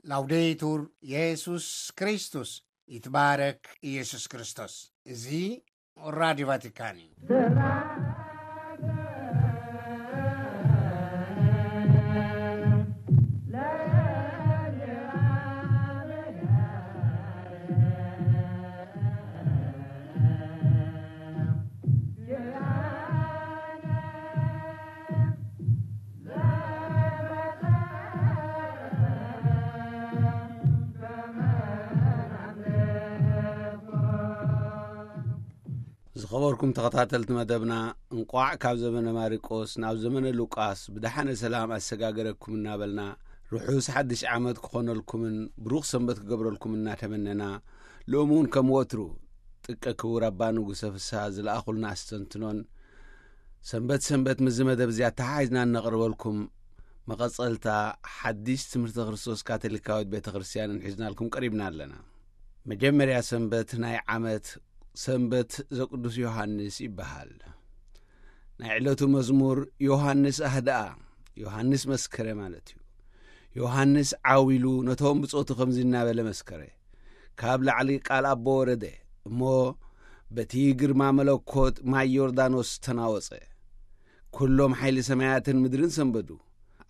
ላውዴቱር የሱስ ክርስቶስ፣ ይትባረክ ኢየሱስ ክርስቶስ። እዚ ራዲዮ ቫቲካን እዩ። ዝኸበርኩም ተኸታተልቲ መደብና፣ እንቋዕ ካብ ዘመነ ማርቆስ ናብ ዘመነ ሉቃስ ብደሓነ ሰላም ኣሰጋገረኩም እናበልና፣ ርሑስ ሓድሽ ዓመት ክኾነልኩምን ብሩኽ ሰንበት ክገብረልኩም እናተመነና፣ ሎሚ እውን ከም ወትሩ ጥቀ ክቡር ኣባ ንጉሰ ፍስሃ ዝለኣኹልና ኣስተንትኖን፣ ሰንበት ሰንበት ምስዚ መደብ እዚ ኣተሓሒዝና እነቕርበልኩም መቐጸልታ ሓድሽ ትምህርቲ ክርስቶስ ካቶሊካዊት ቤተ ክርስቲያንን ሒዝናልኩም ቀሪብና ኣለና። መጀመርያ ሰንበት ናይ ዓመት ሰንበት ዘቅዱስ ዮሃንስ ይበሃል። ናይ ዕለቱ መዝሙር ዮሃንስ ኣህድኣ፣ ዮሃንስ መስከረ ማለት እዩ። ዮሃንስ ዓው ኢሉ ነቶም ብጾቱ ከምዚ እናበለ መስከረ፣ ካብ ላዕሊ ቃል ኣቦ ወረደ፣ እሞ በቲ ግርማ መለኮት ማይ ዮርዳኖስ ተናወጸ። ኩሎም ሓይሊ ሰማያትን ምድርን ሰንበዱ።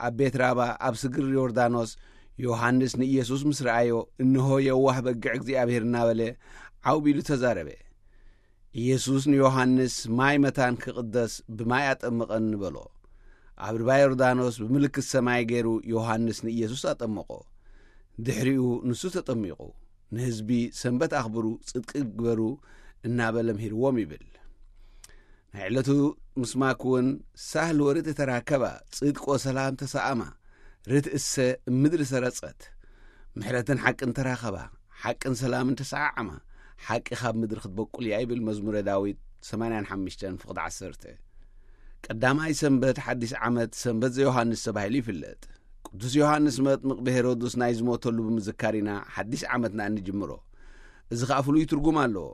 ኣብ ቤት ራባ ኣብ ስግር ዮርዳኖስ ዮሃንስ ንኢየሱስ ምስ ረኣዮ፣ እንሆ የዋህ በግዕ እግዚኣብሔር እናበለ ዓው ቢሉ ተዛረበ። ኢየሱስ ንዮሃንስ ማይ መታን ክቕደስ ብማይ ኣጠምቐኒ በሎ። ኣብ ርባ ዮርዳኖስ ብምልክት ሰማይ ገይሩ ዮሃንስ ንኢየሱስ ኣጠመቖ። ድሕሪኡ ንሱ ተጠሚቑ፣ ንህዝቢ ሰንበት ኣኽብሩ፣ ጽድቂ ግበሩ እናበለ ምሂርዎም ይብል። ናይ ዕለቱ ምስማክ እውን ሳህል ወርድ ተራከባ፣ ጽድቅ ወሰላም ተሰኣማ፣ ርትእሰ ምድሪ ሰረጸት፣ ምሕረትን ሓቅን ተራኸባ፣ ሓቅን ሰላምን ተሰዓዓማ፣ ሓቂ ካብ ምድሪ ክትበቁል እያ ይብል መዝሙረ ዳዊት ሰማንያን ሓሙሽተን ፍቕዲ ዓሰርተ። ቀዳማይ ሰንበት ሓድሽ ዓመት ሰንበት ዘዮሃንስ ተባሂሉ ይፍለጥ። ቅዱስ ዮሃንስ መጥምቕ ብሄሮድስ ናይ ዝሞተሉ ብምዝካር ኢና ሓድሽ ዓመትና እንጅምሮ። እዚ ኸኣ ፍሉይ ትርጉም ኣለዎ።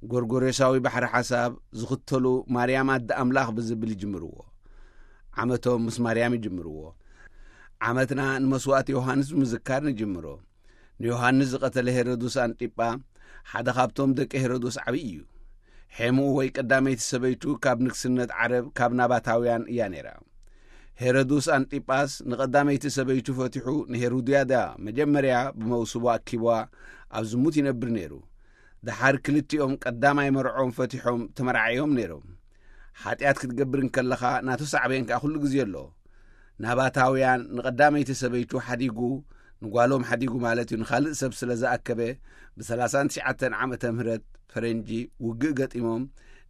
ጎርጎሬሳዊ ባሕሪ ሓሳብ ዝኽተሉ ማርያም ኣደ ኣምላኽ ብዝብል ይጅምርዎ። ዓመቶም ምስ ማርያም ይጅምርዎ። ዓመትና ንመስዋእቲ ዮሃንስ ብምዝካር ንጅምሮ። ንዮሃንስ ዝቐተለ ሄሮድስ ኣንጢጳ ሓደ ካብቶም ደቂ ሄሮድስ ዓብዪ እዩ። ሔምኡ ወይ ቀዳመይቲ ሰበይቱ ካብ ንግስነት ዓረብ ካብ ናባታውያን እያ ነይራ። ሄሮድስ ኣንጢጳስ ንቐዳመይቲ ሰበይቱ ፈቲሑ ንሄሮድያዳ መጀመርያ ብመውስቦ ኣኪብዋ ኣብ ዝሙት ይነብር ነይሩ። ደሓር ክልቲኦም ቀዳማይ መርዖም ፈቲሖም ተመርዓዮም ነይሮም። ሓጢኣት ክትገብር እንከለኻ ናቱ ሳዕቤን ከኣ ኩሉ ግዜ ኣሎ። ናባታውያን ንቐዳመይቲ ሰበይቱ ሓዲጉ፣ ንጓሎም ሓዲጉ ማለት እዩ፣ ንኻልእ ሰብ ስለ ዝኣከበ፣ ብ ሰላሳን ትሽዓተን ዓመተ ምህረት ፈረንጂ ውግእ ገጢሞም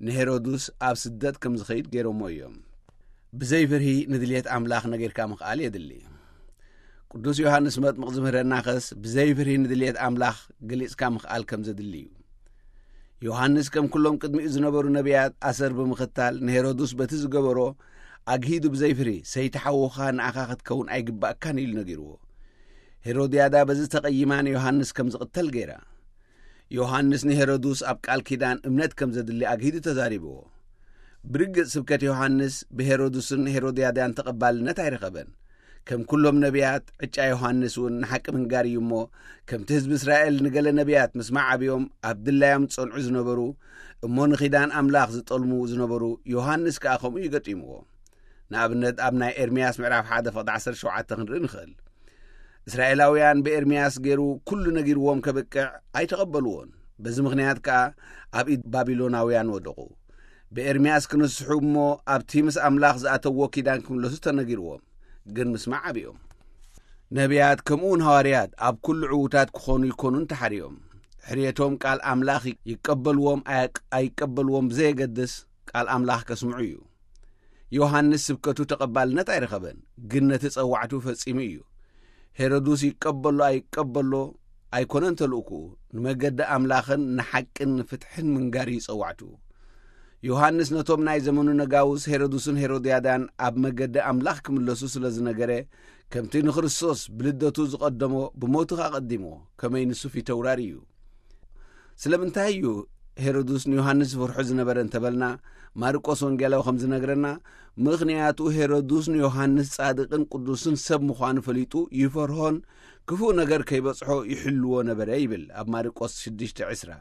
ንሄሮድስ ኣብ ስደት ከም ዝኸይድ ገይሮሞ እዮም። ብዘይ ፍርሂ ንድልየት ኣምላኽ ነጊርካ ምኽኣል የድሊ። ቅዱስ ዮሃንስ መጥምቕ ዝምህረናኸስ ብዘይ ፍርሂ ንድልየት ኣምላኽ ገሊጽካ ምኽኣል ከም ዘድሊ እዩ። ዮሃንስ ከም ኩሎም ቅድሚኡ ዝነበሩ ነቢያት ኣሰር ብምኽታል ንሄሮድስ በቲ ዝገበሮ ኣግሂዱ ብዘይ ፍርሂ፣ "ሰይቲ ሓውኻ ንኣኻ ክትከውን ኣይግባእካን" ኢሉ ነጊርዎ። ሄሮድያዳ በዚ ተቐይማ ንዮሃንስ ከም ዝቕተል ገይራ። ዮሃንስ ንሄሮድስ ኣብ ቃል ኪዳን እምነት ከም ዘድሊ ኣግሂዱ ተዛሪብዎ። ብርግጽ ስብከት ዮሃንስ ብሄሮድስን ሄሮድያዳን ተቐባልነት ኣይረኸበን። ከም ኩሎም ነቢያት፣ ዕጫ ዮሃንስ እውን ንሓቂ ምንጋር እዩ እሞ፣ ከምቲ ህዝቢ እስራኤል ንገለ ነቢያት ምስማዕ ኣብዮም ኣብ ድላዮም ዝጸንዑ ዝነበሩ፣ እሞ ንኺዳን ኣምላኽ ዝጠልሙ ዝነበሩ፣ ዮሃንስ ከኣ ከምኡ እዩ ገጢምዎ። ንኣብነት ኣብ ናይ ኤርምያስ ምዕራፍ ሓደ ፍቕዲ ዓሰርተ ሸውዓተ ክንርኢ ንኽእል። እስራኤላውያን ብኤርምያስ ገይሩ ኩሉ ነጊርዎም ከብቅዕ ኣይተቐበልዎን። በዚ ምኽንያት ከኣ ኣብ ኢድ ባቢሎናውያን ወደቑ። ብኤርምያስ ክንስሑ እሞ ኣብቲ ምስ ኣምላኽ ዝኣተዎ ኪዳን ክምለሱ ተነጊርዎም፣ ግን ምስማዕ ኣብዮም። ነቢያት ከምኡውን ሃዋርያት ኣብ ኩሉ ዕዉታት ክኾኑ ይኮኑን ተሓርዮም። ሕርየቶም ቃል ኣምላኽ ይቀበልዎም ኣይ-፣ ኣይቀበልዎም ብዘየገድስ ቃል ኣምላኽ ከስምዑ እዩ። ዮሃንስ ስብከቱ ተቐባልነት ኣይረኸበን፣ ግን ነቲ ጸዋዕቱ ፈጺሙ እዩ። ሄሮድስ ይቀበሎ ኣይቀበሎ ኣይኮነን ተልእኩኡ፣ ንመገዲ ኣምላኽን ንሓቅን ንፍትሕን ምንጋር እዩ ጸዋዕቱ። ዮሃንስ ነቶም ናይ ዘመኑ ነጋውስ ሄሮድስን ሄሮድያዳን ኣብ መገዲ ኣምላኽ ክምለሱ ስለ ዝነገረ፣ ከምቲ ንክርስቶስ ብልደቱ ዝቐደሞ ብሞቱ ኣቐዲሞ፣ ከመይ ንሱ ፊተውራሪ እዩ። ስለምንታይ እዩ ሄሮድስ ንዮሃንስ ዝፈርሖ ዝነበረ እንተበልና፣ ማርቆስ ወንጌላዊ ከም ዝነግረና፣ ምኽንያቱ ሄሮድስ ንዮሃንስ ጻድቕን ቅዱስን ሰብ ምዃኑ ፈሊጡ ይፈርሆን ክፉእ ነገር ከይበጽሖ ይሕልዎ ነበረ ይብል ኣብ ማርቆስ ሽዱሽተ ዕስራ።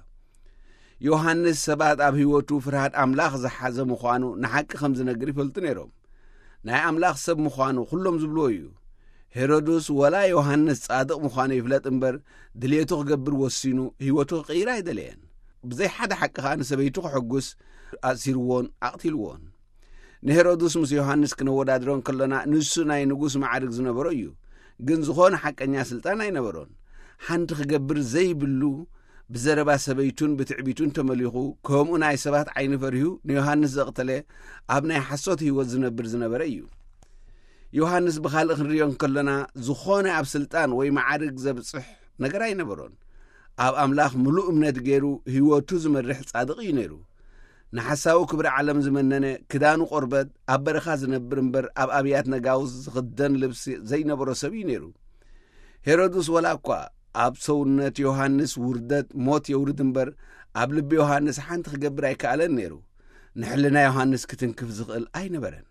ዮሃንስ ሰባት ኣብ ህይወቱ ፍርሃት ኣምላኽ ዝሓዘ ምዃኑ ንሓቂ ከም ዝነግር ይፈልጡ ነይሮም። ናይ ኣምላኽ ሰብ ምዃኑ ኩሎም ዝብልዎ እዩ። ሄሮድስ ወላ ዮሃንስ ጻድቕ ምዃኑ ይፍለጥ እምበር፣ ድልየቱ ክገብር ወሲኑ ህይወቱ ክቕይር ኣይደለየን። ብዘይ ሓደ ሓቂ ኸኣ ንሰበይቱ ክሕጉስ ኣእሲርዎን ኣቕቲልዎን። ንሄሮድስ ምስ ዮሃንስ ክነወዳድሮ እንከሎና፣ ንሱ ናይ ንጉስ ማዕርግ ዝነበሮ እዩ፣ ግን ዝኾነ ሓቀኛ ስልጣን ኣይነበሮን። ሓንቲ ክገብር ዘይብሉ፣ ብዘረባ ሰበይቱን ብትዕቢቱን ተመሊኹ፣ ከምኡ ናይ ሰባት ዓይኒ ፈሪሁ ንዮሃንስ ዘቕተለ፣ ኣብ ናይ ሓሶት ህይወት ዝነብር ዝነበረ እዩ። ዮሃንስ ብኻልእ ክንሪኦ እንከሎና፣ ዝኾነ ኣብ ስልጣን ወይ ማዕርግ ዘብጽሕ ነገር ኣይነበሮን። ኣብ ኣምላኽ ምሉእ እምነት ገይሩ ህይወቱ ዝመርሕ ጻድቕ እዩ ነይሩ። ንሓሳዊ ክብሪ ዓለም ዝመነነ፣ ክዳኑ ቆርበት፣ ኣብ በረኻ ዝነብር እምበር ኣብ ኣብያት ነጋውስ ዝኽደን ልብሲ ዘይነበሮ ሰብ እዩ ነይሩ። ሄሮድስ ወላ እኳ ኣብ ሰውነት ዮሃንስ ውርደት ሞት የውርድ እምበር፣ ኣብ ልቢ ዮሃንስ ሓንቲ ክገብር ኣይከኣለን ነይሩ። ንሕልና ዮሃንስ ክትንክፍ ዝኽእል ኣይነበረን።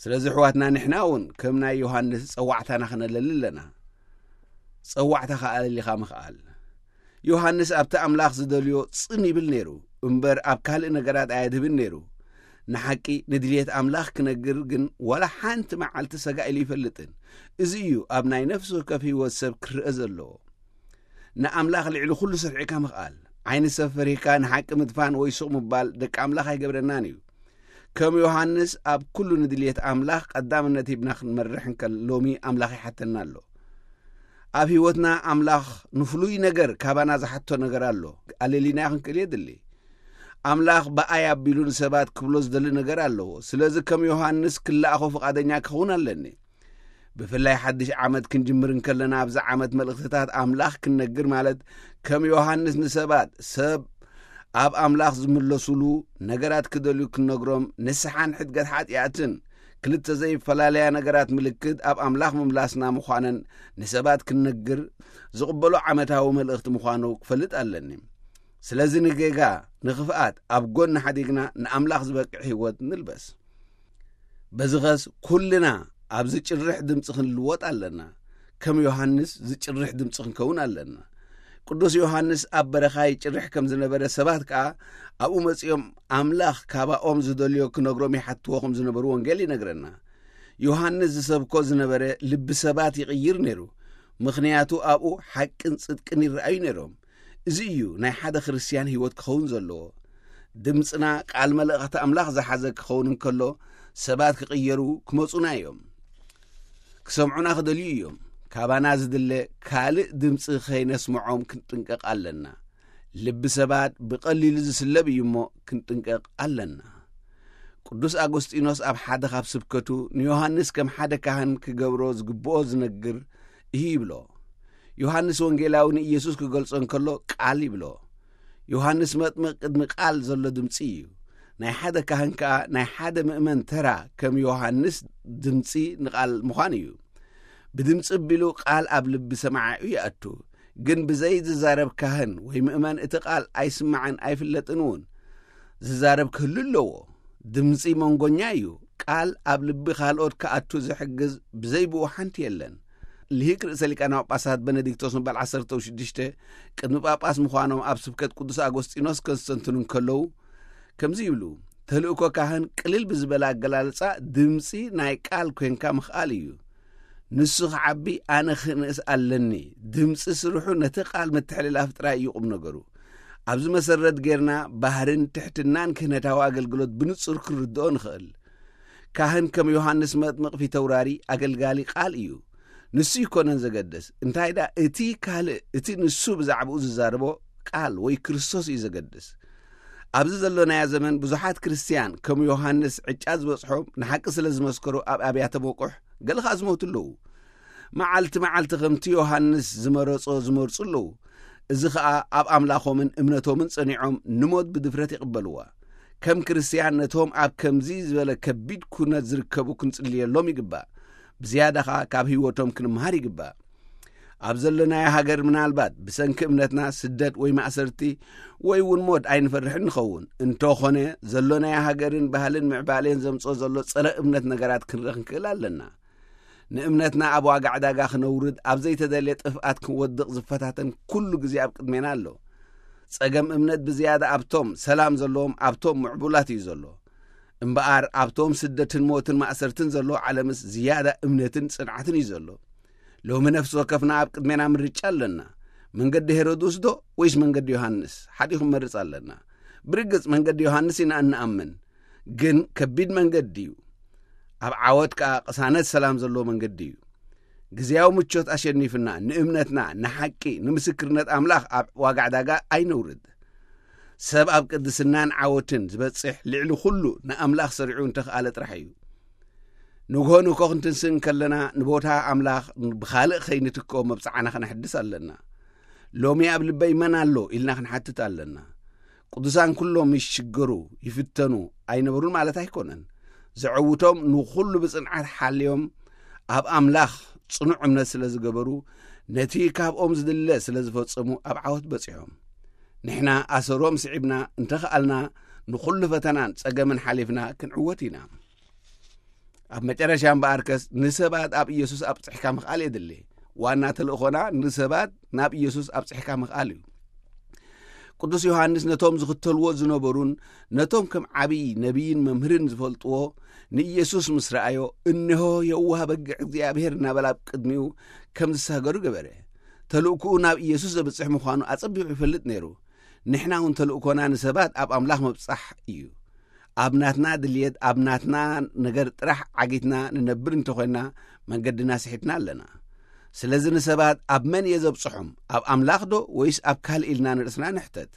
ስለዚ ኣሕዋትና፣ ንሕና እውን ከም ናይ ዮሃንስ ጸዋዕታና ክነለሊ ኣለና። ጸዋዕታኻ ኣለሊኻ ምኽኣል። ዮሃንስ ኣብቲ ኣምላኽ ዝደልዮ ጽን ይብል ነይሩ እምበር፣ ኣብ ካልእ ነገራት ኣየድህብን ነይሩ። ንሓቂ፣ ንድልየት ኣምላኽ ክነግር ግን ዋላ ሓንቲ መዓልቲ ሰጋእ ኢሉ ይፈልጥን። እዚ እዩ ኣብ ናይ ነፍሲ ወከፍ ህይወት ሰብ ክርአ ዘለዎ። ንኣምላኽ ልዕሊ ኩሉ ሰፊሕካ ምኽኣል። ዓይኒ ሰብ ፈሪህካ ንሓቂ ምድፋን ወይ ሱቕ ምባል ደቂ ኣምላኽ ኣይገብረናን እዩ። ከም ዮሃንስ ኣብ ኩሉ ንድልየት ኣምላኽ ቀዳምነት ሂብና ክንመርሕ እንከል፣ ሎሚ ኣምላኽ ይሓተና ኣሎ። ኣብ ህይወትና ኣምላኽ ንፍሉይ ነገር ካባና ዝሓቶ ነገር ኣሎ። ኣለሊናዮ ክንክእል የድሊ። ኣምላኽ ብኣይ ኣቢሉ ንሰባት ክብሎ ዝደሊ ነገር ኣለዎ። ስለዚ ከም ዮሃንስ ክለኣኾ ፍቓደኛ ክኸውን ኣለኒ። ብፍላይ ሓድሽ ዓመት ክንጅምር እንከለና፣ ኣብዚ ዓመት መልእኽትታት ኣምላኽ ክንነግር ማለት፣ ከም ዮሃንስ ንሰባት ሰብ ኣብ ኣምላኽ ዝምለሱሉ ነገራት ክደልዩ ክንነግሮም፣ ንስሓን ሕድገት ሓጢኣትን ክልተ ዘይፈላለያ ነገራት ምልክት ኣብ ኣምላኽ ምምላስና ምዃነን ንሰባት ክንነግር ዝቕበሎ ዓመታዊ መልእኽቲ ምዃኑ ክፈልጥ ኣለኒ። ስለዚ ንጌጋ፣ ንኽፍኣት ኣብ ጎኒ ሓዲግና ንኣምላኽ ዝበቅዕ ህይወት ንልበስ። በዚ ኸስ ኩልና ኣብ ዝጭርሕ ድምፂ ክንልወጥ ኣለና። ከም ዮሃንስ ዝጭርሕ ድምፂ ክንከውን ኣለና። ቅዱስ ዮሃንስ ኣብ በረኻ ይጭርሕ ከም ዝነበረ፣ ሰባት ከኣ ኣብኡ መጺኦም ኣምላኽ ካባኦም ዝደልዮ ክነግሮም ይሓትዎ ከም ዝነበሩ ወንጌል ይነግረና። ዮሃንስ ዝሰብኮ ዝነበረ ልቢ ሰባት ይቕይር ነይሩ፣ ምኽንያቱ ኣብኡ ሓቅን ጽድቅን ይረኣዩ ነይሮም። እዚ እዩ ናይ ሓደ ክርስትያን ህይወት ክኸውን ዘለዎ። ድምጽና ቃል መልእኽቲ ኣምላኽ ዝሓዘ ክኸውን እንከሎ፣ ሰባት ክቕየሩ ክመጹና እዮም። ክሰምዑና ክደልዩ እዮም። ካባና ዝድለ ካልእ ድምጺ ከይነስምዖም ክንጥንቀቕ ኣለና። ልቢ ሰባት ብቐሊሉ ዝስለብ እዩ እሞ፣ ክንጥንቀቕ ኣለና። ቅዱስ ኣጎስጢኖስ ኣብ ሓደ ካብ ስብከቱ፣ ንዮሃንስ ከም ሓደ ካህን ክገብሮ ዝግብኦ ዝነግር እዩ ይብሎ። ዮሃንስ ወንጌላዊ ንኢየሱስ ክገልጾ እንከሎ፣ ቃል ይብሎ። ዮሃንስ መጥምቕ ቅድሚ ቃል ዘሎ ድምጺ እዩ። ናይ ሓደ ካህን ከኣ ናይ ሓደ ምእመን ተራ ከም ዮሃንስ ድምጺ ንቓል ምዃን እዩ። ብድምጺ ኣቢሉ ቃል ኣብ ልቢ ሰማዓዩ ይኣቱ። ግን ብዘይ ዝዛረብ ካህን ወይ ምእመን እቲ ቃል ኣይስማዕን ኣይፍለጥን እውን። ዝዛረብ ክህሉ ኣለዎ። ድምጺ መንጎኛ እዩ። ቃል ኣብ ልቢ ካልኦት ክኣቱ ዝሕግዝ ብዘይ ብኡ ሓንቲ የለን። ልሂቅ ርእሰ ሊቃነ ጳጳሳት በነዲክቶስ መበል ዓሰርተ ሽዱሽተ ቅድሚ ጳጳስ ምዃኖም ኣብ ስብከት ቅዱስ ኣጎስጢኖስ ከስተንትኑ እንከለዉ ከምዚ ይብሉ፣ ተልእኮ ካህን ቅልል ብዝበለ ኣገላልጻ ድምጺ ናይ ቃል ኮንካ ምኽኣል እዩ። ንሱ ክዓቢ ኣነ ክንእስ ኣለኒ። ድምጺ ስርሑ ነቲ ቃል ምትሕልላፍ ጥራይ እዩ ቁም ነገሩ። ኣብዚ መሰረት ጌርና ባህርን ትሕትናን ክህነታዊ ኣገልግሎት ብንጹር ክንርድኦ ንኽእል። ካህን ከም ዮሃንስ መጥምቕ ፊተውራሪ ኣገልጋሊ ቃል እዩ። ንሱ ይኮነን ዘገድስ፣ እንታይ ደኣ እቲ ካልእ፣ እቲ ንሱ ብዛዕባኡ ዝዛረቦ ቃል ወይ ክርስቶስ እዩ ዘገድስ። ኣብዚ ዘሎናዮ ዘመን ብዙሓት ክርስትያን ከም ዮሃንስ ዕጫ ዝበጽሖም ንሓቂ ስለ ዝመስከሩ ኣብ ኣብያተ መቁሕ፣ ገለ ኸኣ ዝሞቱ ኣለዉ። መዓልቲ መዓልቲ ከምቲ ዮሃንስ ዝመረጾ ዝመርጹ ኣለዉ። እዚ ኸኣ ኣብ ኣምላኾምን እምነቶምን ጸኒዖም ንሞት ብድፍረት ይቕበልዋ። ከም ክርስትያን ነቶም ኣብ ከምዚ ዝበለ ከቢድ ኩነት ዝርከቡ ክንጽልየሎም ይግባእ። ብዝያዳ ኸኣ ካብ ህይወቶም ክንምሃር ይግባእ። ኣብ ዘለናዮ ሃገር ምናልባት ብሰንኪ እምነትና ስደት ወይ ማእሰርቲ ወይ እውን ሞት ኣይንፈርሕን ንኸውን። እንተኾነ፣ ዘሎ ናይ ሃገርን ባህልን ምዕባሌን ዘምጽኦ ዘሎ ጸረ እምነት ነገራት ክንርኢ ክንክእል ኣለና። ንእምነትና ኣብ ዋጋ ዕዳጋ ክነውርድ፣ ኣብ ዘይተደልየ ጥፍኣት ክንወድቕ ዝፈታተን ኩሉ ግዜ ኣብ ቅድሜና ኣሎ። ጸገም እምነት ብዝያዳ ኣብቶም ሰላም ዘለዎም፣ ኣብቶም ምዕቡላት እዩ ዘሎ። እምበኣር ኣብቶም ስደትን ሞትን ማእሰርትን ዘለዎ ዓለምስ ዝያዳ እምነትን ጽንዓትን እዩ ዘሎ። ሎሚ ነፍሲ ወከፍና ኣብ ቅድሜና ምርጫ ኣለና። መንገዲ ሄሮድስ ዶ ወይስ መንገዲ ዮሃንስ? ሓዲኹ መርጽ ኣለና። ብርግጽ መንገዲ ዮሃንስ ኢና እንኣምን። ግን ከቢድ መንገዲ እዩ። ኣብ ዓወት ከኣ ቅሳነት ሰላም ዘለዎ መንገዲ እዩ። ግዜያዊ ምቾት ኣሸኒፍና ንእምነትና፣ ንሓቂ፣ ንምስክርነት ኣምላኽ ኣብ ዋጋ ዕዳጋ ኣይነውርድ። ሰብ ኣብ ቅድስናን ዓወትን ዝበጽሕ ልዕሊ ኩሉ ንኣምላኽ ሰሪዑ እንተኽኣለ ጥራሕ እዩ። ንግሆ ንግሆ ክንትንስእ እንከለና ንቦታ ኣምላኽ ብኻልእ ከይንትክኦ መብጽዓና ከነሕድስ ኣለና። ሎሚ ኣብ ልበይ መን ኣሎ ኢልና ክንሓትት ኣለና። ቅዱሳን ኩሎም ይሽገሩ፣ ይፍተኑ ኣይነበሩን ማለት ኣይኮነን። ዘዕውቶም ንኹሉ ብጽንዓት ሓልዮም ኣብ ኣምላኽ ጽኑዕ እምነት ስለ ዝገበሩ፣ ነቲ ካብኦም ዝድለ ስለ ዝፈጸሙ ኣብ ዓወት በጺሖም። ንሕና ኣሰሮም ስዒብና እንተኽኣልና ንኹሉ ፈተናን ጸገምን ሓሊፍና ክንዕወት ኢና። ኣብ መጨረሻ እምበኣርከስ ንሰባት ኣብ ኢየሱስ ኣብጽሕካ ምኽኣል የድሊ። ዋና ተልእኾና ንሰባት ናብ ኢየሱስ ኣብጽሕካ ምኽኣል እዩ። ቅዱስ ዮሃንስ ነቶም ዝኽተልዎ ዝነበሩን ነቶም ከም ዓብዪ ነቢይን መምህርን ዝፈልጥዎ ንኢየሱስ ምስ ረኣዮ፣ "እንሆ የዋህ በግዕ እግዚኣብሔር" እናበለ ኣብ ቅድሚኡ ከም ዝሳገሩ ገበረ። ተልእኮኡ ናብ ኢየሱስ ዘብጽሕ ምዃኑ ኣጸቢቑ ይፈልጥ ነይሩ። ንሕና እውን ተልእኮና ንሰባት ኣብ ኣምላኽ ምብጻሕ እዩ። ኣብ ናትና ድልየት፣ ኣብ ናትና ነገር ጥራሕ ዓጊትና ንነብር እንተኾይንና፣ መንገድና ስሒትና ኣለና። ስለዚ ንሰባት ኣብ መን እየ ዘብጽሖም? ኣብ ኣምላኽ ዶ ወይስ ኣብ ካልእ ኢልና ንርእስና ንሕተት።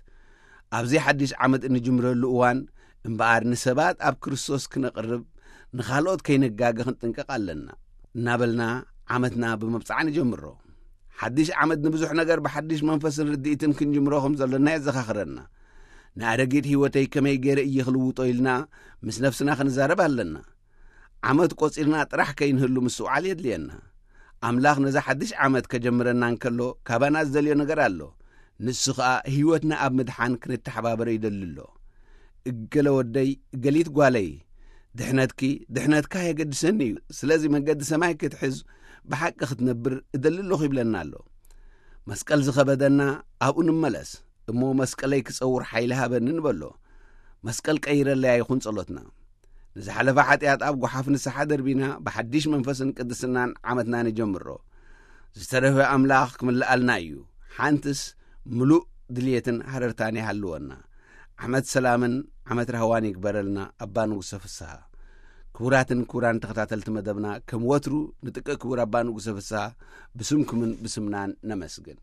ኣብዚ ሓድሽ ዓመት እንጅምረሉ እዋን እምበኣር ንሰባት ኣብ ክርስቶስ ክነቕርብ፣ ንኻልኦት ከይነጋገ ክንጥንቀቕ ኣለና እናበልና ዓመትና ብምብጻዕ ንጀምሮ። ሓድሽ ዓመት ንብዙሕ ነገር ብሓድሽ መንፈስን ርድኢትን ክንጅምሮ ከም ዘለና የዘኻኽረና። ንኣረጊት ህይወተይ ከመይ ገይረ እየ ክልውጦ ኢልና ምስ ነፍስና ክንዛረብ ኣለና። ዓመት ቆጺርና ጥራሕ ከይንህሉ ምስትውዓል የድልየና። ኣምላኽ ነዛ ሓድሽ ዓመት ከጀምረና እንከሎ ካባና ዝደልዮ ነገር ኣሎ። ንሱ ኸኣ ህይወትና ኣብ ምድሓን ክንተሓባበሮ ይደሊ ኣሎ። "እገለ ወደይ፣ እገሊት ጓለይ፣ ድሕነትኪ፣ ድሕነትካ የገድሰኒ እዩ። ስለዚ መንገዲ ሰማይ ክትሕዝ፣ ብሓቂ ክትነብር እደሊ ኣለኹ" ይብለና ኣሎ። መስቀል ዝኸበደና ኣብኡ ንመለስ። "እሞ መስቀለይ ክጸውር ሓይሊ ሃበኒ" ንበሎ። መስቀል ቀይረለይ ኣይኹን ጸሎትና። ንዝሓለፈ ሓጢኣት ኣብ ጓሓፍ ንስሓ ደርቢና፣ ብሓድሽ መንፈስን ቅድስናን ዓመትና ንጀምሮ። ዝተረፈ ኣምላኽ ክምልኣልና እዩ። ሓንትስ ምሉእ ድልየትን ሃረርታን ይሃልወና። ዓመት ሰላምን ዓመት ራህዋን ይግበረልና ኣባ ንጉሰ ፍስሃ። ክቡራትን ክቡራን ተኸታተልቲ መደብና፣ ከም ወትሩ ንጥቀ ክቡር ኣባ ንጉሰ ፍስሃ ብስምኩምን ብስምናን ነመስግን።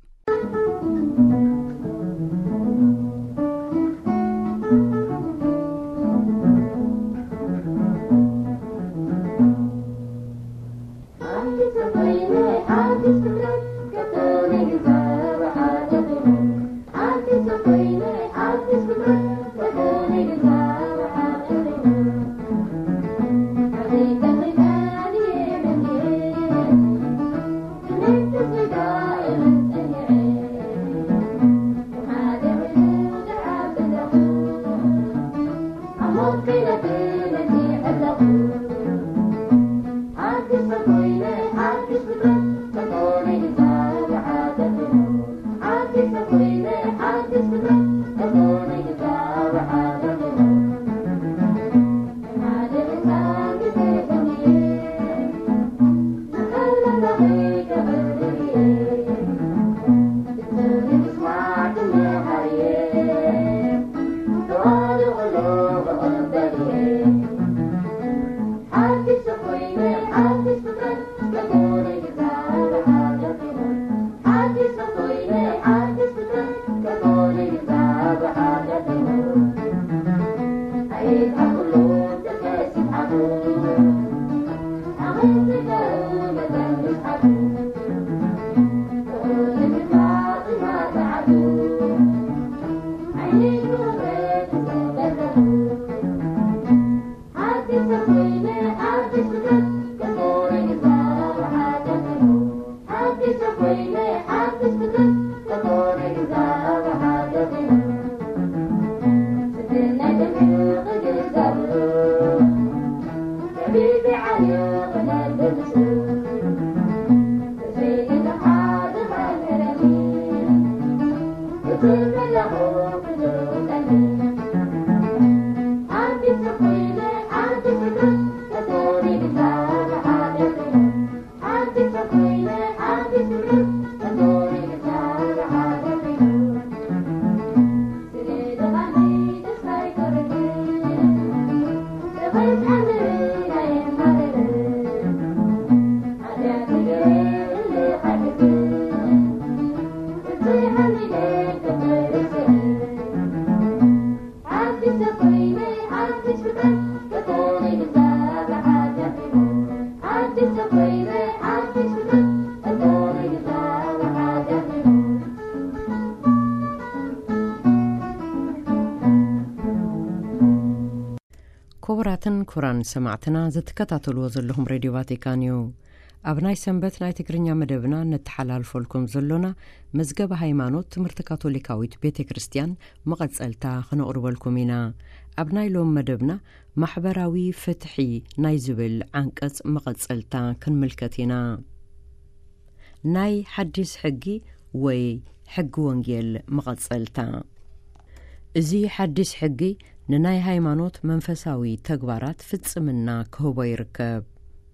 ክቡራትን ክቡራን ሰማዕትና፣ ዘትከታተልዎ ዘለኹም ሬድዮ ቫቲካን እዩ። ኣብ ናይ ሰንበት ናይ ትግርኛ መደብና ነተሓላልፈልኩም ዘሎና መዝገበ ሃይማኖት ትምህርቲ ካቶሊካዊት ቤተ ክርስቲያን መቐጸልታ ክነቕርበልኩም ኢና። ኣብ ናይ ሎም መደብና ማሕበራዊ ፍትሒ ናይ ዝብል ዓንቀጽ መቐጸልታ ክንምልከት ኢና። ናይ ሓዲስ ሕጊ ወይ ሕጊ ወንጌል መቐጸልታ። እዚ ሓዲስ ሕጊ ንናይ ሃይማኖት መንፈሳዊ ተግባራት ፍጽምና ክህቦ ይርከብ።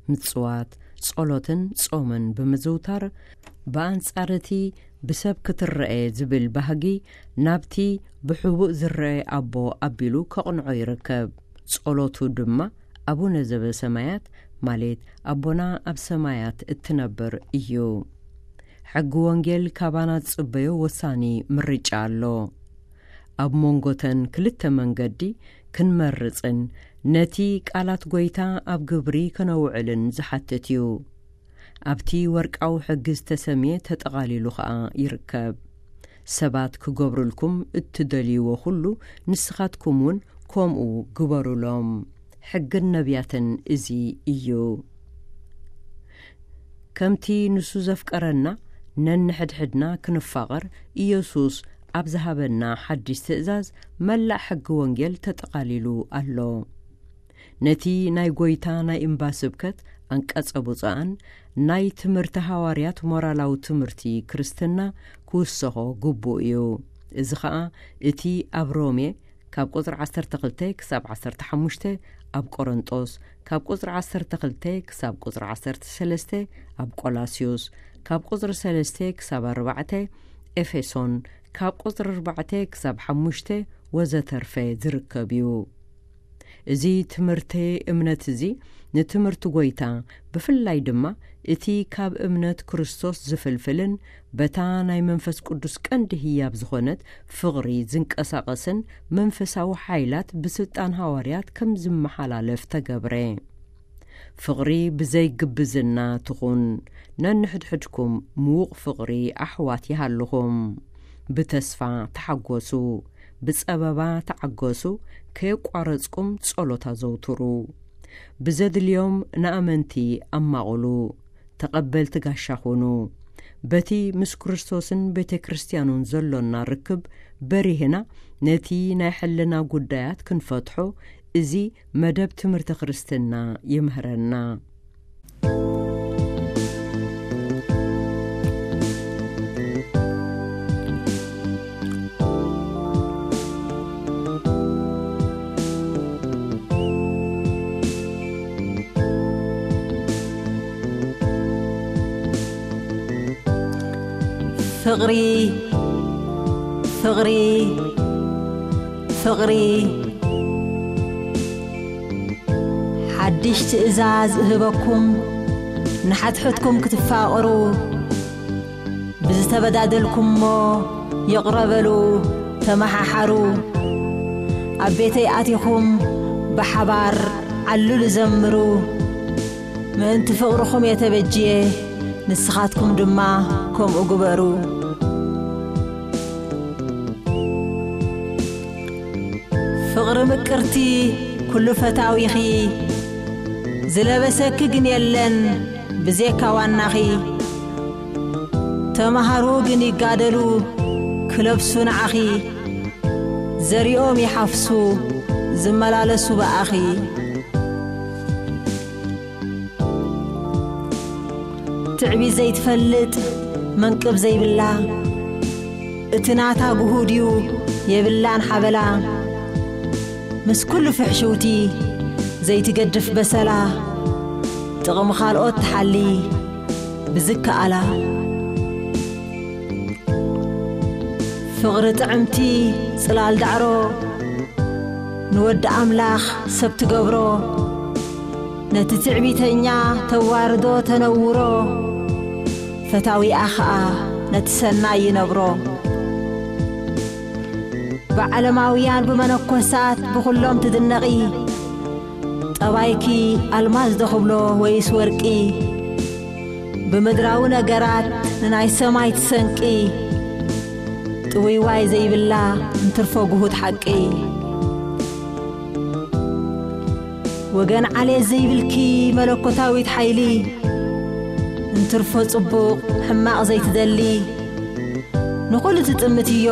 ምጽዋት፣ ጸሎትን ጾምን ብምዝውታር፣ ብኣንጻር እቲ ብሰብ ክትረኤ ዝብል ባህጊ ናብቲ ብሕቡእ ዝረኤ ኣቦ ኣቢሉ ከቕንዖ ይርከብ። ጸሎቱ ድማ ኣቡነ ዘበሰማያት፣ ማለት ኣቦና ኣብ ሰማያት እትነብር እዩ። ሕጊ ወንጌል ካባና ዝጽበዮ ወሳኒ ምርጫ ኣሎ። ኣብ መንጎተን ክልተ መንገዲ ክንመርጽን ነቲ ቃላት ጐይታ ኣብ ግብሪ ከነውዕልን ዝሓትት እዩ። ኣብቲ ወርቃዊ ሕጊ ዝተሰምየ ተጠቓሊሉ ኸኣ ይርከብ። ሰባት ክገብሩልኩም እትደልይዎ ኹሉ ንስኻትኩም እውን ከምኡ ግበሩሎም። ሕግን ነቢያትን እዚ እዩ። ከምቲ ንሱ ዘፍቀረና ነንሕድሕድና ክንፋቐር ኢየሱስ ኣብ ዝሃበና ሓድሽ ትእዛዝ መላእ ሕጊ ወንጌል ተጠቓሊሉ ኣሎ። ነቲ ናይ ጐይታ ናይ እምባ ስብከት ኣንቀጸ ብፁዓን ናይ ትምህርቲ ሃዋርያት ሞራላዊ ትምህርቲ ክርስትና ክውሰኾ ግቡእ እዩ። እዚ ኸኣ እቲ ኣብ ሮሜ ካብ ቁጽሪ ዓሰርተ ክልተ ክሳብ ዓሰርተ ሓሙሽተ፣ ኣብ ቆሮንጦስ ካብ ቁጽሪ ዓሰርተ ክልተ ክሳብ ቁጽሪ ዓሰርተ ሰለስተ፣ ኣብ ቆላስዮስ ካብ ቁጽሪ ሰለስተ ክሳብ ኣርባዕተ፣ ኤፌሶን ካብ ቁጽሪ ኣርባዕተ ክሳብ ሓሙሽተ ወዘተርፈ ዝርከብ እዩ። እዚ ትምህርቲ እምነት እዚ ንትምህርቲ ጐይታ፣ ብፍላይ ድማ እቲ ካብ እምነት ክርስቶስ ዝፍልፍልን በታ ናይ መንፈስ ቅዱስ ቀንዲ ህያብ ዝኾነት ፍቕሪ ዝንቀሳቐስን መንፈሳዊ ሓይላት ብስልጣን ሃዋርያት ከም ዝመሓላለፍ ተገብረ። ፍቕሪ ብዘይ ግብዝና ትኹን። ነንሕድሕድኩም ምዉቕ ፍቕሪ ኣሕዋት ይሃልኹም። ብተስፋ ተሓጎሱ፣ ብጸበባ ተዓገሱ፣ ከየቋረጽኩም ጸሎት ኣዘውትሩ። ብዘድልዮም ንኣመንቲ ኣማቕሉ፣ ተቐበልቲ ጋሻ ኹኑ። በቲ ምስ ክርስቶስን ቤተ ክርስቲያኑን ዘሎና ርክብ በሪህና ነቲ ናይ ሕልና ጉዳያት ክንፈትሖ እዚ መደብ ትምህርቲ ክርስትና ይምህረና። ፍቕሪ፣ ፍቕሪ፣ ፍቕሪ። ሓድሽ ትእዛዝ እህበኩም፣ ንሓድሕድኩም ክትፋቐሩ፣ ብዝተበዳደልኩሞ ይቕረ በሉ፣ ተመሓሓሩ። ኣብ ቤተይ ኣቲኹም ብሓባር ዓልሉ ዘምሩ። ምእንቲ ፍቕርኹም እየ ተበጅየ፣ ንስኻትኩም ድማ ከምኡ ግበሩ። ፍቕሪ ምቅርቲ ኩሉ ፈታዊኺ፣ ዝለበሰኪ ግን የለን ብዜካ ዋናኺ። ተምሃሩ ግን ይጋደሉ ክለብሱ ንዓኺ፣ ዘሪኦም ይሓፍሱ ዝመላለሱ ብኣኺ። ትዕቢት ዘይትፈልጥ መንቅብ ዘይብላ፣ እቲ ናታ ግሁድ እዩ፣ የብላን ሓበላ። ምስ ኩሉ ፍሕሽውቲ ዘይትገድፍ በሰላ፣ ጥቕሚ ካልኦት ትሓሊ ብዝከኣላ። ፍቕሪ ጥዕምቲ ጽላል ዳዕሮ፣ ንወዲ ኣምላኽ ሰብ ትገብሮ። ነቲ ትዕቢተኛ ተዋርዶ ተነውሮ፣ ፈታዊኣ ኸኣ ነቲ ሰናይ ይነብሮ። ብዓለማውያን ብመነኮሳት ብኹሎም ትድነቒ። ጠባይኪ ኣልማዝ ዶ ክብሎ ወይስ ወርቂ? ብምድራዊ ነገራት ንናይ ሰማይ ትሰንቂ። ጥውይዋይ ዘይብላ እንትርፎ ግሁድ ሓቂ። ወገን ዓሌት ዘይብልኪ መለኮታዊት ሓይሊ፣ እንትርፎ ጽቡቕ ሕማቕ ዘይትደሊ። ንኹሉ ትጥምትዮ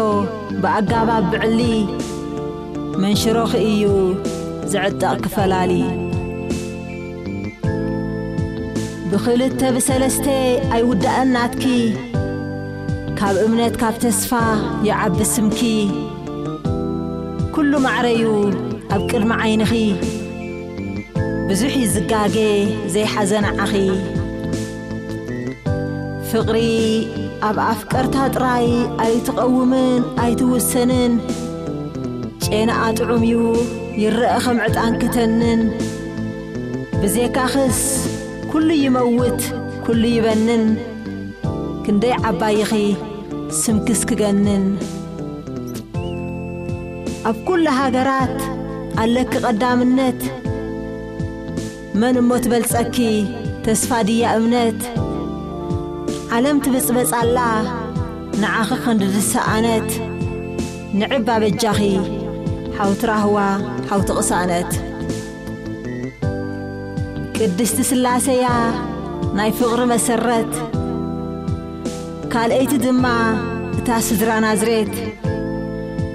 ብኣጋባብ ብዕሊ፣ መንሽሮኺ እዩ ዝዕጠቕ ክፈላሊ። ብኽልተ ብሰለስተ ኣይውዳእን ናትኪ፣ ካብ እምነት ካብ ተስፋ ይዓቢ ስምኪ። ኩሉ ማዕረዩ ኣብ ቅድሚ ዓይንኺ፣ ብዙሕ እዩ ዝጋገ ዘይሓዘ ንዓኺ። ፍቕሪ ኣብ ኣፍቀርታ ጥራይ ኣይትቐውምን ኣይትውሰንን። ጨናኣ ጥዑም እዩ ይረአ ከም ዕጣን ክተንን። ብዜካኽስ ኩሉ ይመውት ኩሉ ይበንን። ክንደይ ዓባይኺ ስምክስ ክገንን። ኣብ ኩሉ ሃገራት ኣለኪ ቀዳምነት። መን እሞ ትበልጸኪ ተስፋ ድያ እምነት? ዓለም ትብጽበጽ ኣላ ንዓኺ ክንዲ ዝሰኣነት። ንዕባ በጃኺ ሓውቲ ራህዋ ሓውቲ ቅሳነት። ቅድስቲ ስላሴያ ናይ ፍቕሪ መሰረት፣ ካልኣይቲ ድማ እታ ስድራ ናዝሬት።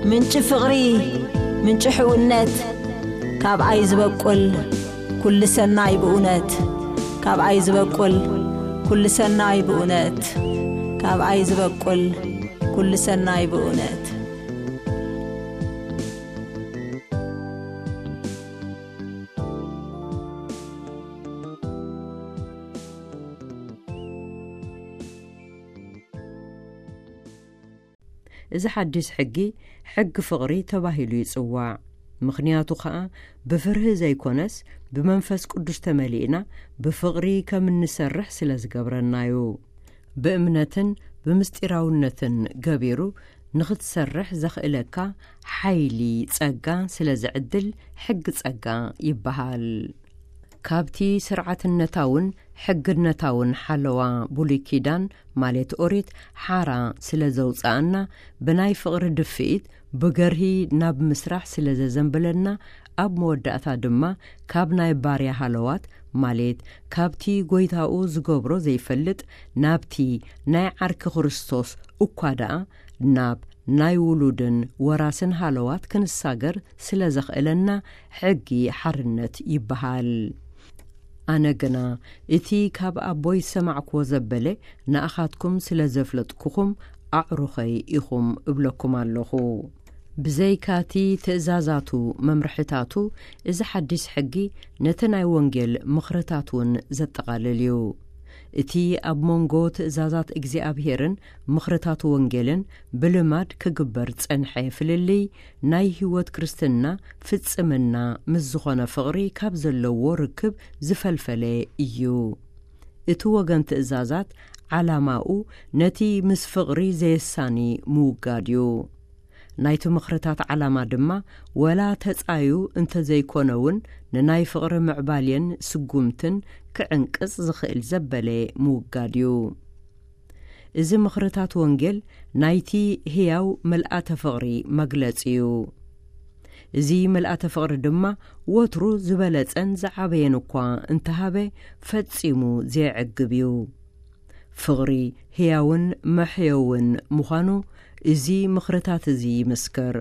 ምንጪ ፍቕሪ ምንጪ ሕውነት፣ ካብኣይ ዝበቁል ኩሉ ሰናይ ብእውነት። ካብኣይ ዝበቁል ኩሉ ሰናይ ብእውነት። ካብኣይ ዝበቁል ኩሉ ሰናይ ብእውነት። እዚ ሓድሽ ሕጊ፣ ሕጊ ፍቕሪ ተባሂሉ ይጽዋዕ። ምኽንያቱ ኸኣ፣ ብፍርሂ ዘይኮነስ፣ ብመንፈስ ቅዱስ ተመሊእና ብፍቕሪ ከም እንሰርሕ ስለ ዝገብረናዩ። ብእምነትን ብምስጢራውነትን ገቢሩ ንኽትሰርሕ ዘኽእለካ ሓይሊ ጸጋ ስለ ዝዕድል፣ ሕጊ ጸጋ ይበሃል። ካብቲ ስርዓትነታውን ሕግነታውን ሓለዋ ብሉይ ኪዳን፣ ማለት ኦሪት፣ ሓራ ስለ ዘውጽኣና፣ ብናይ ፍቕሪ ድፍኢት ብገርሂ ናብ ምስራሕ ስለ ዘዘንብለና፣ ኣብ መወዳእታ ድማ ካብ ናይ ባርያ ሃለዋት፣ ማለት ካብቲ ጐይታኡ ዝገብሮ ዘይፈልጥ፣ ናብቲ ናይ ዓርኪ ክርስቶስ እኳ ደኣ ናብ ናይ ውሉድን ወራስን ሃለዋት ክንሳገር ስለ ዘኽእለና፣ ሕጊ ሓርነት ይበሃል። ኣነ ግና፣ እቲ ካብ ኣቦይ ዝሰማዕክዎ ዘበለ ንኣኻትኩም ስለ ዘፍለጥኩኹም፣ ኣዕሩኸይ ኢኹም እብለኩም ኣለኹ። ብዘይካቲ ትእዛዛቱ፣ መምርሕታቱ፣ እዚ ሓድሽ ሕጊ ነቲ ናይ ወንጌል ምኽርታት እውን ዘጠቓልል እዩ። እቲ ኣብ መንጎ ትእዛዛት እግዚኣብሄርን ምኽርታት ወንጌልን ብልማድ ክግበር ጸንሐ ፍልልይ፣ ናይ ህይወት ክርስትና ፍጽምና ምስ ዝኾነ ፍቕሪ ካብ ዘለዎ ርክብ ዝፈልፈለ እዩ። እቲ ወገን ትእዛዛት ዓላማኡ ነቲ ምስ ፍቕሪ ዘየሳኒ ምውጋድ እዩ። ናይቲ ምኽርታት ዓላማ ድማ፣ ወላ ተጻዩ እንተዘይኮነ እውን፣ ንናይ ፍቕሪ ምዕባሌን ስጉምትን ክዕንቅጽ ዝኽእል ዘበለ ምውጋድ እዩ። እዚ ምኽርታት ወንጌል ናይቲ ህያው ምልኣተ ፍቕሪ መግለጺ እዩ። እዚ ምልኣተ ፍቕሪ ድማ ወትሩ ዝበለጸን ዝዓበየን እኳ እንተሃበ፣ ፈጺሙ ዘየዕግብ እዩ። ፍቕሪ ህያውን መሕየውን ምዃኑ እዚ ምኽርታት እዚ ይምስክር።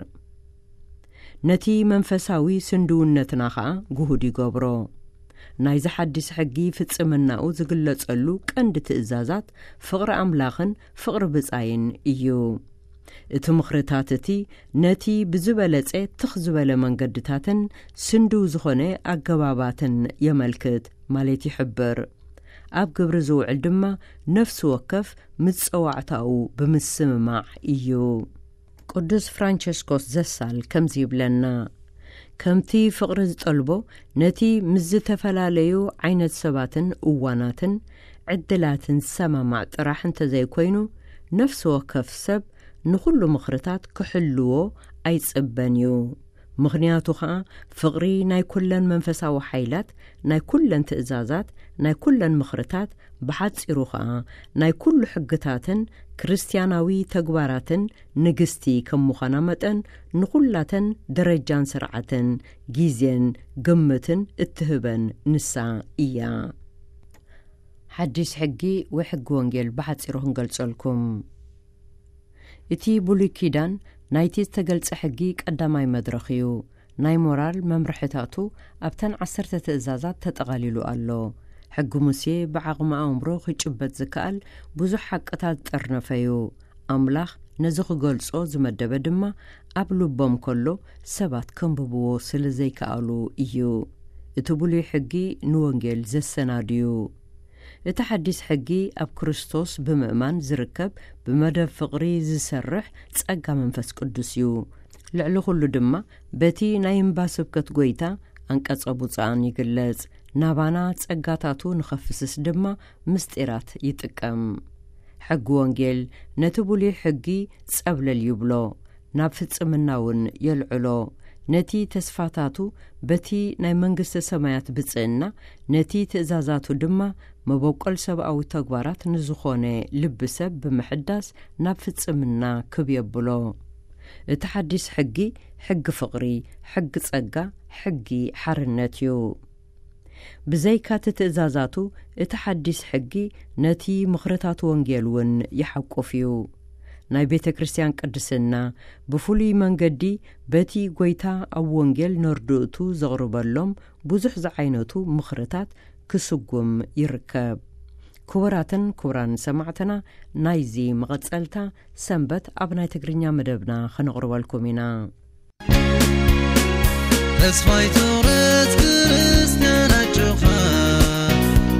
ነቲ መንፈሳዊ ስንድውነትና ኸኣ ግሁድ ይገብሮ። ናይዚ ሓድሽ ሕጊ ፍጽምናኡ ዝግለጸሉ ቀንዲ ትእዛዛት ፍቕሪ ኣምላኽን ፍቕሪ ብጻይን እዩ። እቲ ምኽርታት እቲ ነቲ ብዝበለጸ ትኽ ዝበለ መንገድታትን ስንድው ዝኾነ ኣገባባትን የመልክት፣ ማለት ይሕብር። ኣብ ግብሪ ዝውዕል ድማ ነፍሲ ወከፍ ምጸዋዕታኡ ብምስምማዕ እዩ። ቅዱስ ፍራንቸስኮስ ዘሳል ከምዚ ይብለና፣ ከምቲ ፍቕሪ ዝጠልቦ፣ ነቲ ምስ ዝተፈላለዩ ዓይነት ሰባትን እዋናትን ዕድላትን ዝሰማማዕ ጥራሕ እንተዘይኮይኑ፣ ነፍሲ ወከፍ ሰብ ንኹሉ ምኽርታት ክሕልዎ ኣይጽበን እዩ። ምኽንያቱ ኸኣ፣ ፍቕሪ ናይ ኩለን መንፈሳዊ ሓይላት፣ ናይ ኩለን ትእዛዛት፣ ናይ ኩለን ምኽርታት፣ ብሓጺሩ ኸኣ፣ ናይ ኩሉ ሕግታትን ክርስትያናዊ ተግባራትን ንግስቲ ከም ምዃና መጠን፣ ንኹላተን ደረጃን ስርዓትን ግዜን ግምትን እትህበን ንሳ እያ። ሓዲስ ሕጊ ወይ ሕጊ ወንጌል ብሓጺሩ ክንገልጸልኩም። እቲ ብሉይ ኪዳን ናይቲ ዝተገልጸ ሕጊ ቀዳማይ መድረኽ እዩ። ናይ ሞራል መምርሕታቱ ኣብተን ዓሰርተ ትእዛዛት ተጠቓሊሉ ኣሎ። ሕጊ ሙሴ ብዓቕሚ ኣእምሮ ክጭበጥ ዝከኣል ብዙሕ ሓቅታት ዝጠርነፈ እዩ። ኣምላኽ ነዚ ክገልጾ ዝመደበ ድማ ኣብ ልቦም ከሎ ሰባት ከንብብዎ ስለ ዘይከኣሉ እዩ። እቲ ብሉይ ሕጊ ንወንጌል ዘሰናድዩ። እቲ ሓዲስ ሕጊ ኣብ ክርስቶስ ብምእማን ዝርከብ ብመደብ ፍቕሪ ዝሰርሕ ጸጋ መንፈስ ቅዱስ እዩ። ልዕሊ ኩሉ ድማ በቲ ናይ እምባ ስብከት ጎይታ ኣንቀጸ ብፁዓን ይግለጽ። ናባና ጸጋታቱ ንኸፍስስ ድማ ምስጢራት ይጥቀም። ሕጊ ወንጌል ነቲ ብሉይ ሕጊ ጸብለል ይብሎ፣ ናብ ፍጽምና እውን የልዕሎ። ነቲ ተስፋታቱ በቲ ናይ መንግስተ ሰማያት ብጽእና፣ ነቲ ትእዛዛቱ ድማ መበቆል ሰብኣዊ ተግባራት ንዝኾነ ልቢ ሰብ ብምሕዳስ ናብ ፍጽምና ክብ የብሎ። እቲ ሓዲስ ሕጊ፣ ሕጊ ፍቕሪ፣ ሕጊ ጸጋ፣ ሕጊ ሓርነት እዩ። ብዘይካ እቲ ትእዛዛቱ፣ እቲ ሓዲስ ሕጊ ነቲ ምኽርታት ወንጌል እውን ይሓቁፍ እዩ። ናይ ቤተ ክርስቲያን ቅድስና ብፍሉይ መንገዲ በቲ ጎይታ ኣብ ወንጌል ነርድእቱ ዘቕርበሎም ብዙሕ ዝዓይነቱ ምኽርታት ክስጉም ይርከብ። ክቡራትን ክቡራን ሰማዕትና፣ ናይዚ መቐጸልታ ሰንበት ኣብ ናይ ትግርኛ መደብና ከነቕርበልኩም ኢና። ተስፋይ ትቑረጽ ክርስትያን ኣጆኻ፣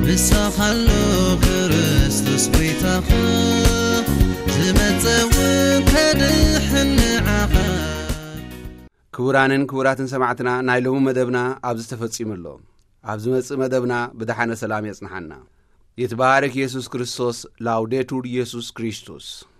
ንስኻ ኣሎ ክርስቶስ ጎይታኻ፣ ዝመጸ እውን ከድሕን ንዓኻ። ክቡራንን ክቡራትን ሰማዕትና፣ ናይ ሎሚ መደብና ኣብዚ ተፈጺሙ ኣሎ። ኣብ ዝመጽእ መደብና ብደሓነ ሰላም የጽንሓና። ይትባረክ ኢየሱስ ክርስቶስ። ላውዴቱር ኢየሱስ ክርስቶስ።